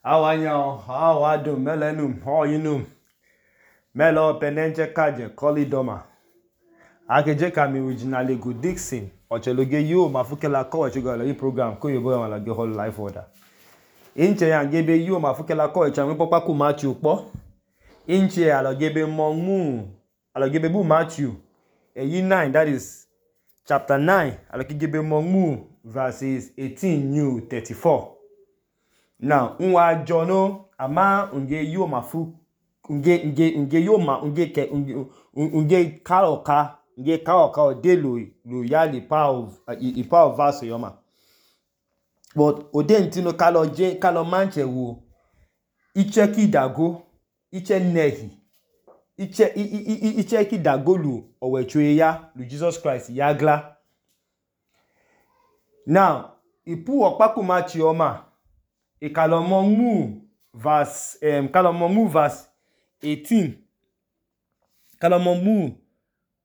Awanyao, awadum, melenum, hoyinum. Melo penenche kaje, kolidoma. Akeje kami originally good Dixon. Ocheloge yo, mafukela ko chugalo yi program ko yobo ya lage whole life order. Inche ya ngebe yo, mafukela ko echanwe popa ku Matthew po. Inche alogebe mongu, alogebe bu Matthew. Eyi 9, that is chapter 9. Alogebe mongu, verses 18 new 34. Now, unwa jono ama unge yo mafu unge yo ma unge kaoka ode lo yali pa of verse yoma. But ode ntino kalo manche wo iche ki dago iche nehi iche ki dago lu owechwe ya lu Jesus Christ yagla. Now, ipu okpaku machi yoma kalomo verse 18. Kalomo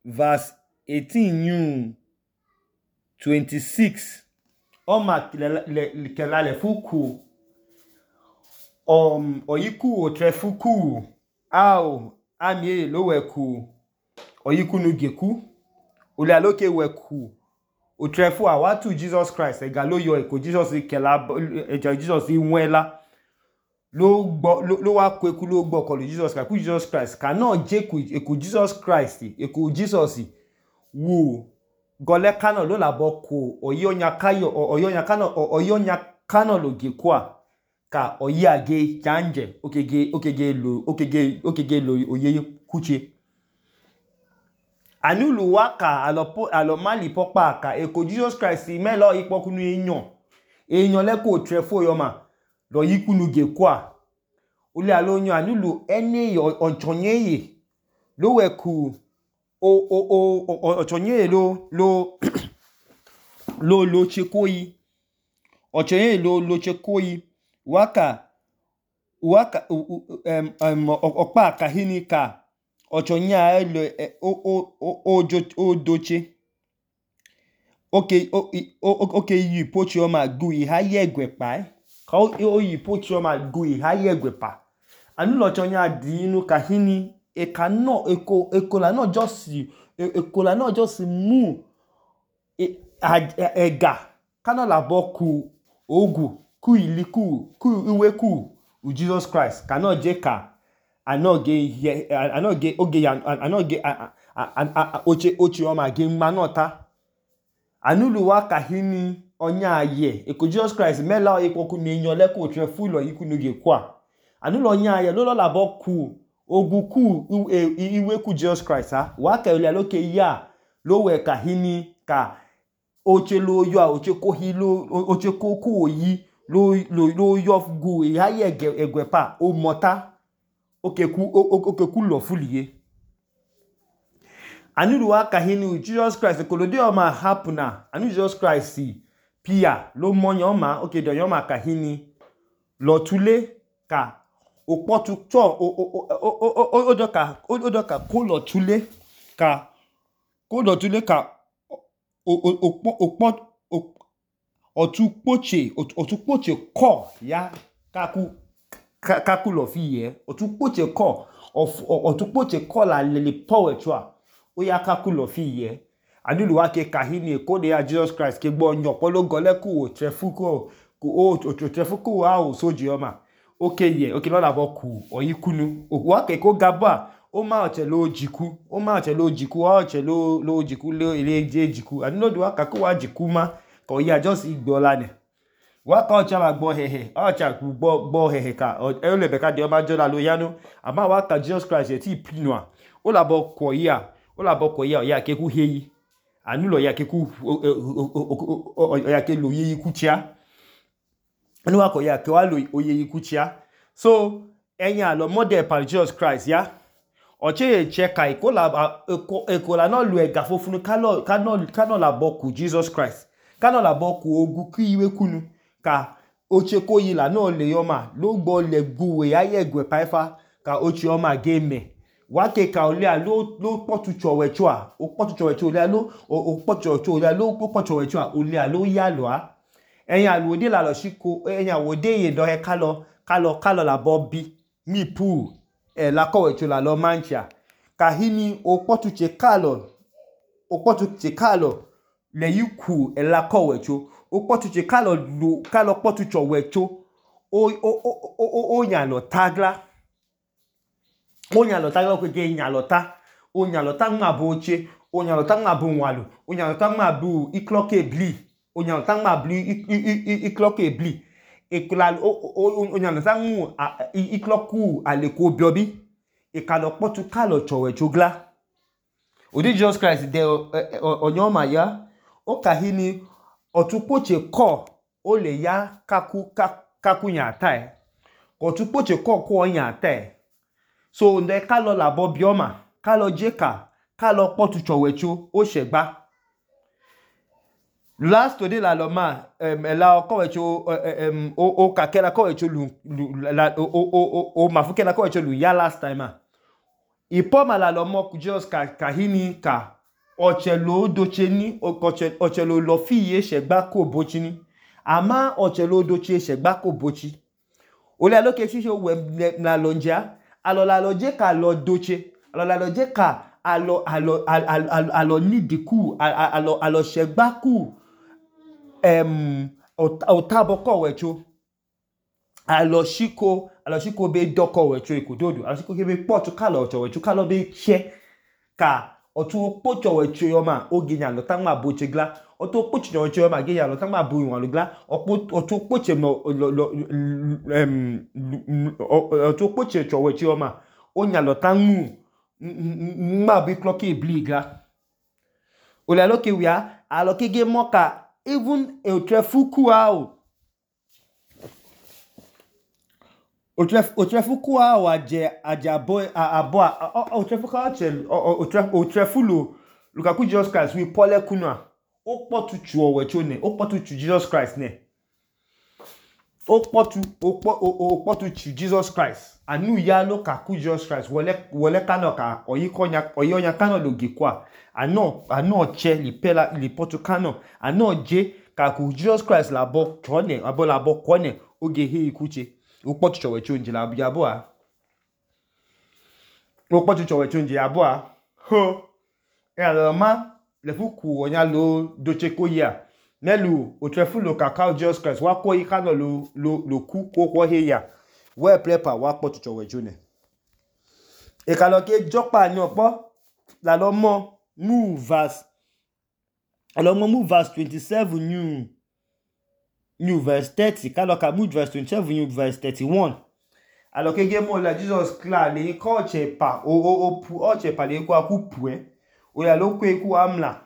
verse 18 new 26. Oma kelale fuku oyiku otrefuku au amie loweku oyiku nugeku ule aloke weku otrefu awatu Jesus Christ egalo yo eko Jesus Jesus inwela lo wa kweku lo gbo ko Jesus Christ cannot jeku eko Jesus Christ eko Jesus wo gole kano lo labo ko oyonya kano lo gekwa ka oyage janje okege lo oyeye kuche anulu waka alo mali popa ka eko Jesus Christ melo ipokunu eyan leko trefo yoma lo yikunu gekwa ule alonyo anulu ene onchonyeye lo weku ochonyeye lo chekoyi ochonyeye lo chekoyi waka okpa kahini ka ochonya ele odoche okay yi pochi oma gu ihaye egwepa ka oyi pochi oma gu ihaye egwepa anu ochonya di inu kahini ekola no just mu ega kana labo ku ogu ku iliku ku iweku u Jesus Christ cannot jeka anoge ochi oma ge manota anulu waka hini onya aye eko Jesus Christ mela ipoku ni eyan leko trefu lo yikunu ge kwa anulu onya aye lo labo ku ogu ku iweku Jesus Christ waka ile loke ya lo we kahini ka oche lo yo oche ko hi lo oche ko ku oyi lo yo gu ihaye egwepa o mota okeku lo fuliye anulu waka hini Jesus Christ kolode o ma hapuna anu Jesus Christ pia lo monyo ma do yoma kahini lo tule ka opotu cho odoka ko lo tule ka otupoche ko ya kaku lo fiye otupoche ko la le power chwa o ya kaku lo fiye anulu wake kahini ko de ya Jesus Christ ke gbo onyo polo gole ku otrefuku o soji oma okay lo labo ku oyikunu wake ko gaba o ma ochelo jiku lo ile jiku anulu do waka ko wa jiku ma ko ya just igbola ne waka ocha ma gbo hehe ocha gbo hehe ka e le be ka de o ma jola lo yanu ama waka Jesus Christ ti pinua o labo ko ya ya ke ku heyi anulu ya ke ku ya ke lo yeyi kuchia anu wako ya ke wa lo oyeyi kuchia so enya lo model par Jesus Christ ya oche cheka ekola no lu ega fofunu kano labo ku Jesus Christ kano labo ku ogu ki iwe kunu ka oche ko yi la no le yoma lo gbo le guwe aye egwe paifa ka oche oma game wake ka ole lo potu chowe chwa o potu chowe chwa ole lo o potu chowe lo potu chowe chwa ole lo ya lo a eyan wo de la lo shiko eyan wo de ye do he ka lo kalo la bobi mi pu la kowecho la lo mancha kahini okpotuche kalo le yiku la kowecho okpotuche kalo kpotucho wecho o nyalo tagla kweke nyalota o nyalota ngma boche o nyalota ngma bu nwalu o nyalota ngma bu ikloke ebli o nyalota ngma bu ikloke ebli o nyalota ngmu ikloku aleko biobi ikalo kpotu kalo chowecho gla odi Jesus Christ de onyoma ya o kahini otukpoche ko o le ya kaku nyata otukpoche ko nyata so nde kalo labo bioma kalo jeka kalo kpotu chowecho o shegba last today la loma la kowecho o kakela kowecho lu o mafukela kowecho lu ya last time ipoma la lomo ku Jesus kahini ka ochelo docheni ochelo lo fiye shegba ko bochini ama ochelo doche shegba ko bochi ole aloke shisho we na lonja alo je ka lo doche alo je ka alo nidiku alo shegba ku otabo kowecho alo shiko be doko wecho ikododu alo shiko be potu kalo chowecho kalo be che ka otu pocho wecho yoma oginya lo tangma bochegla otu pocho wecho yoma ginya lo tangma bu nwalu gla otu poche no otu poche chowecho yoma onya lo tangmu ngma bi clock ebli gla ole aloke wia aloke ge moka even otrefuku ao otrefuku ao abo otrefulo lukaku Jesus Christ we pole kuna o potu chu wecho ne o potu chu Jesus Christ ne o potu chu Jesus Christ anu ya lo kaku Jesus Christ wole kano ka oyonya kano lo gikwa ano che li potu kano ano je kaku Jesus Christ labo chone abo labo kone oge he ikuche o potu chowe chonje la yabo a o potu chowe chonje yabo a ho ma le fuku onya lo doche ko ya nelu otrefulo kakao Jesus Christ wa ko ikano lo ku ko he ya we prepare wa potu chowe chone e kalo ke jopa ni opo la lo mo move verse 27 new verse 30 kalo ka move verse 27 new verse 31 alo ke ge mo la Jesus kla le ko che pa o che pa le ko akupu o ya lo ko eku amla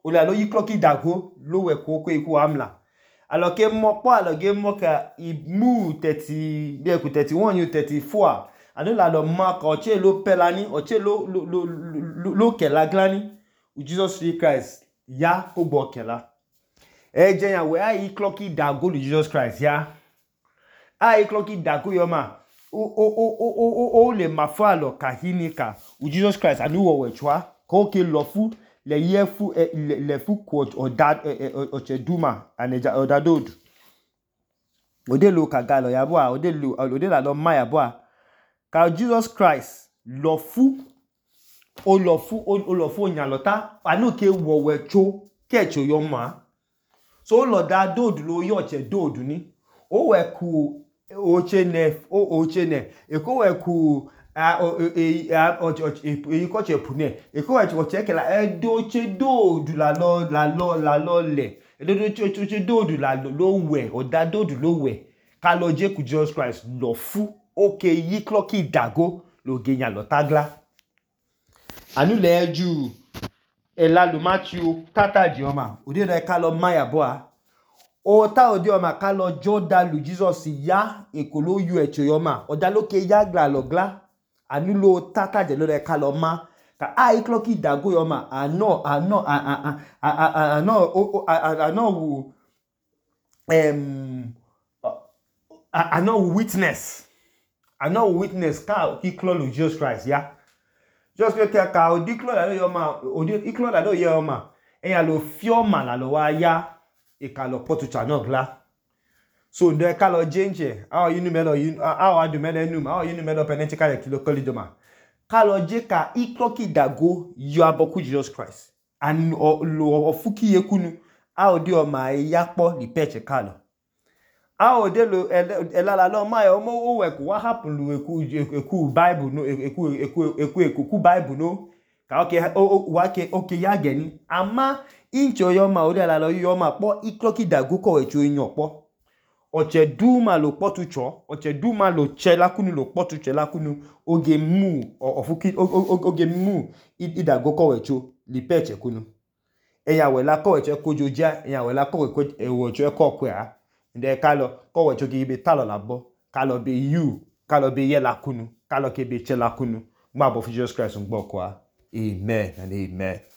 o la lo yi clock dago lo we ko eku amla alo ke mo po alo ge mo ka I move 30 be ku 31 new 34 anu la lo ma ko che lo pelani o che lo ke la glani Jesus Christ ya ko gbo kela je yan we ai clocky dago lu Jesus Christ ya ai clocky dago yo ma o le mafa lo kahini ka u Jesus Christ anu wo wechwa ko ke lo fu le ye fu le fu ko o che duma aneja odadod ode lo ka galo ya bo a ode la lo ma ya bo a ka Jesus Christ lo fu o lo fu nyalota anu ke wo wecho kecho yo ma so lo da dodu lo yo che dodu ni o we ku ochene eko we ku ko che pune eko we che ke la do che dodu la lo le do che dodu la lo we o da dodu lo we ka lo je ku Jesus Christ lo fu oke yi clocky dago lo genya lo tagla anu le ju elalu Matthew tata jioma odi re ka lo maya boa o ta odi oma ka lo joda lu Jesus ya ekolo yu echo yoma oda lo ke ya gla lo gla anu lo tata je lo re ka lo ma ka ai clocky dago yoma ano witness ka ki clo lu Jesus Christ ya just que ka odi clo la yo ma odi iklo la do ye o ma eyan lo fioma la lo wa ya e ka lo potu cha no gla So ndo kalo jenje awo yinu melo awo adu melo num awo yinu melo penenche ka kilo kolidoma kalo je ka ikloki dago yo aboku Jesus Christ and lo ofuki yekunu awo di o ma yakpo li peche kalo awo de lo elala lo ma yo mo we ku what happen lu eku Bible no eku Bible no ka okay ya geni ama incho yo ma ori ala lo yo ma po ikloki dago ko we chu yan po oche duma lo potucho oche duma lo chela kunu lo potucho la kunu oge mu ofuki oge mu idago ko we chu li peche kunu eya we la ko we che kojoja eya we la ko we ewo che ko kwa nde kalo ko we chu gi be talo labo kalo be you kalo be ye la kunu kalo ke be che la kunu gba bo Jesus Christ ngbo kwa amen and amen.